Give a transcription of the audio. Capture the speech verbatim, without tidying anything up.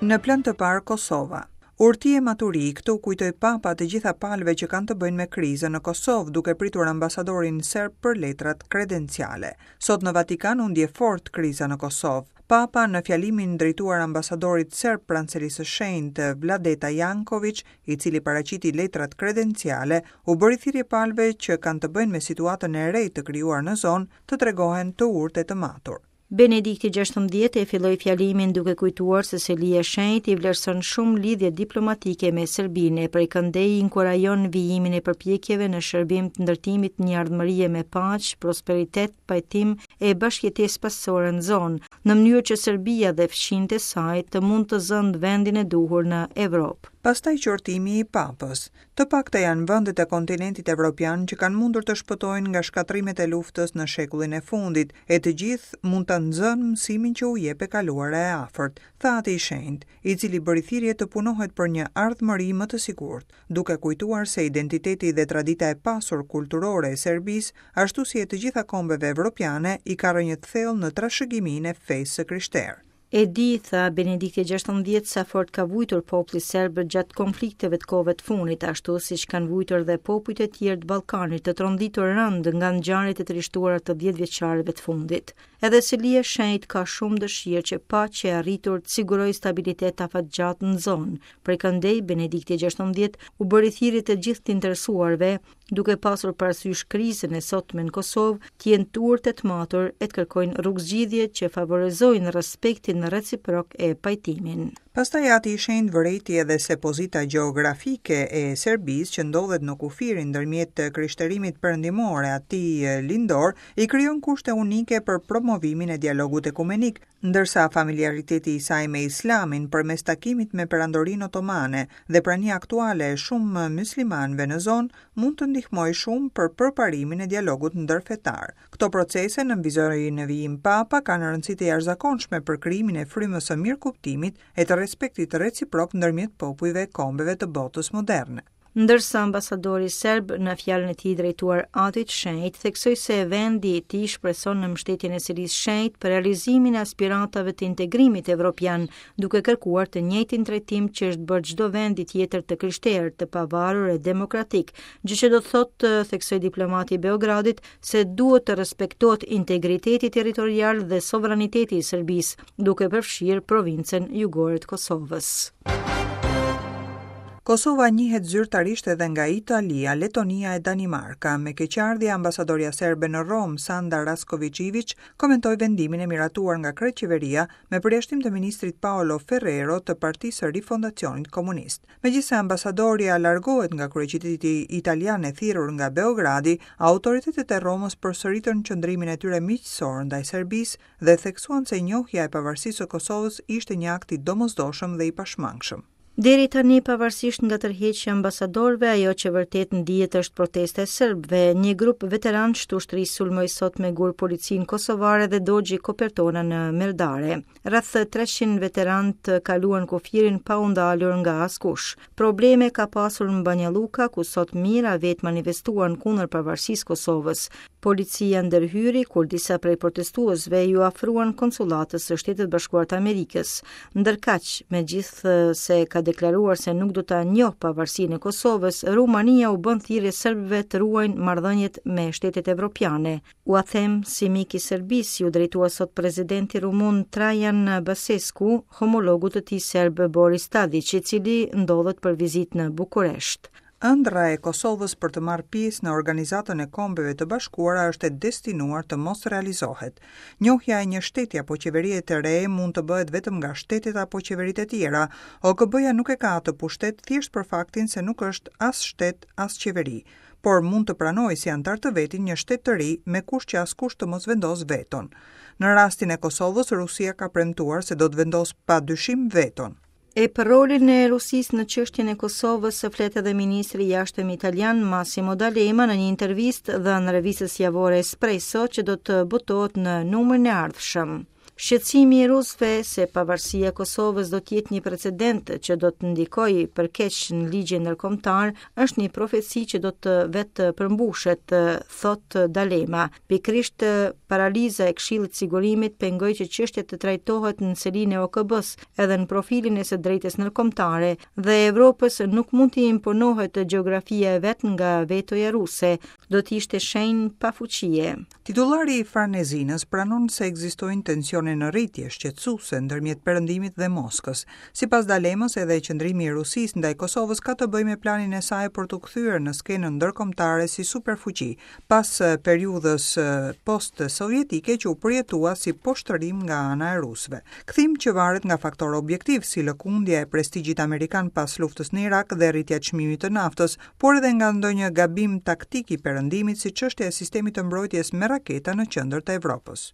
Në plan të parë, Kosova. Urti e maturi, këtu kujtoi Papa të gjitha palëve që kanë të bëjnë me krizën në Kosovë, duke pritur ambasadorin serb për letrat kredenciale. Sot në Vatikan u ndje fort kriza në Kosovë. Papa, në fjalimin drejtuar ambasadorit serb pranë Selisë së Shenjtë, Vladeta Janković, i cili paraqiti letrat kredenciale, u bëri thirrje palëve që kanë të bëjnë me situatën e re të krijuar në zonë, të tregohen të urtë e të matur. Benedikti gjashtëmbëdhjetë e filloi fjalimin duke kujtuar se Selia e Shenjtë i vlerëson shumë lidhjet diplomatike me Serbinë e prej këndej inkurajon vijimin e përpjekjeve në shërbim të ndërtimit një ardhmërie me paqe, prosperitet, pajtim e bashkëjetesë paqësore në zonë, në mënyrë që Serbia dhe fqinjët e saj të mund të zënë vendin e duhur në Evropë. Pastaj qortimi i Papës. Të pakta janë vendet e kontinentit evropian që kanë mundur të shpëtojnë nga shkatërrimet e luftës në shekullin e fundit, e të gjithë mund ta nxënë mësimin që u jep e kaluara e afërt, tha Ati i Shenjtë, i cili bëri thirrje të punohet për një ardhmëri më të sigurt, duke kujtuar se identiteti dhe tradita e pasur kulturore e Serbisë, ashtu si e të gjitha kombeve evropiane, i ka rrënjët thellë në trashëgiminë e fesë së krishterë. E di, tha Benedikti gjashtëmbëdhjetë, sa fort ka vujtur populli serb gjatë konflikteve të kohëve të fundit, ashtu siç kanë vujtur dhe popujt e tjerë të Ballkanit të tronditur rëndë nga ngjarjet e trishtuara të dhjetë vjeçarëve të fundit. Edhe Selia e Shenjtë ka shumë dëshirë që paqja e arritur të sigurojë stabilitet afatgjatë në zonë. Prej këndej, Benedikti gjashtëmbëdhjetë u bëri thirrje të gjithë të interesuarve, duke pasur parasysh krizën e sotme në Kosovë, të jenë të urtë e të matur e të kërkojnë rrugëzgjidhje që favorizojnë respektin reciprok e pajtimin. Pastaj Ati i Shenjtë vërejti edhe se pozita gjeografike e Serbisë, që ndodhet në kufirin ndërmjet krishterimit perëndimor e atij lindor, i krijon kushte unike për promovimin e dialogut ekumenik, ndërsa familiariteti i saj me Islamin përmes takimit me Perandorinë Otomane dhe prania aktuale e shumë muslimanëve në zonë mund të ndihmojë shumë për përparimin e dialogut ndërfetar. Këto procese, nënvizoi në vijim Papa, kanë rëndësi të jashtëzakonshme për krijimin e frymës së mirëkuptimit e të respektit reciprok ndërmjet popujve e kombeve të botës moderne. Ndërsa ambasadori serb në fjalën e tij drejtuar Atit Shenjt theksoi se vendi i tij shpreson në mbështetjen e Selisë Shenjtë për realizimin e aspiratave të integrimit evropian, duke kërkuar të njëjtin trajtim që është bërë çdo vendi tjetër të krishterë, të pavarur e demokratik, gjë që do të thotë, theksoi diplomati i Beogradit, se duhet të respektohet integriteti territorial dhe sovraniteti i Serbisë, duke përfshirë provincën jugore të Kosovës. Kosova njihet zyrtarisht edhe nga Italia, Letonia e Danimarka. Me keqardhje, ambasadorja serbe në Romë, Sanda Raskovic-Ivic, komentoi vendimin e miratuar nga krejt qeveria me përjashtim të ministrit Paolo Ferrero të Partisë së Rifondacionit Komunist. Megjithëse ambasadorja largohet nga kryeqyteti italian e thirrur nga Beogradi, autoritetet e Romës përsëritën qëndrimin e tyre miqësor ndaj Serbisë dhe theksuan se njohja e pavarësisë së Kosovës ishte një akt i domosdoshëm dhe i pashmangshëm. Deri tani, pavarësisht nga tërheqja e ambasadorëve, ajo që vërtet ndihet është protesta e serbëve. Një grup veteranësh të ushtrisë sulmoi sot me gur policinë kosovare dhe dogji kopertona në Merdare. Rreth treqind veteranë kaluan kufirin pa u ndalur nga askush. Probleme ka pasur në Banja Luka, ku sot mijëra vetë manifestuan kundër pavarësisë Kosovës. Policia ndërhyri kur disa prej protestuesve ju afruan konsullatës së Shtetit Bashkuar të Amerikës. Ndërkaq, megjithëse ka deklaruar se nuk do ta njohë pavarësinë e Kosovës, Rumania u bën thirrje serbëve të ruajnë marrëdhëniet me shtetet evropiane. Ua them si mik i Serbisë, ju drejtua sot presidenti rumun Trajan Basescu, homologut të tij serb Boris Tadic, i cili ndodhet për vizitë në Bukuresht. Ëndrra e Kosovës për të marrë pjesë në Organizatën e Kombeve të Bashkuara është e destinuar të mos realizohet. Njohja e një shteti apo qeverie të re mund të bëhet vetëm nga shtetet apo qeveritë e tjera. O K B-ja nuk e ka atë pushtet thjesht për faktin se nuk është as shtet, as qeveri, por mund të pranojë si antar të vetin një shtet të ri me kusht që askush të mos vendosë veton. Në rastin e Kosovës, Rusia ka premtuar se do të vendosë pa dyshim veton. E për rolin e Rusisë në çështjen e Kosovës se flet edhe ministri i jashtëm italian Massimo D'Alema në një intervistë dhënë revistës javore Espresso që do të botohet në numrin e ardhshëm. Shqetësimi i rusëve se pavarësia e Kosovës do të jetë një precedent që do të ndikojë për keq në ligjin ndërkombëtar është një profeci që do të vetë përmbushet, thotë D'Alema. Pikërisht paraliza e Këshillit të Sigurimit pengoi që çështja të trajtohet në selinë e O K B-s edhe në profilin e së drejtës ndërkombëtare dhe Evropës nuk mund t'i imponohet gjeografia e vet nga vetoja ruse, do të ishte shenjë pafuqie. Titullari i Farnezinës pranon se ekzistojnë tensione në rritje shqetësuese ndërmjet Perëndimit dhe Moskës. Sipas D'Alemës, edhe qëndrimi i Rusisë ndaj Kosovës ka të bëjë me planin e saj për t'u kthyer në skenën ndërkombëtare si superfuqi, pas periudhës post-sovjetike që u përjetua si poshtërim nga ana e rusëve. Kthim që varet nga faktorë objektiv si lëkundja e prestigjit amerikan pas luftës në Irak dhe rritja e çmimit të naftës, por edhe nga ndonjë gabim taktik i Perëndimit, si çështja e sistemit të mbrojtjes me raketa në qendër të Evropës.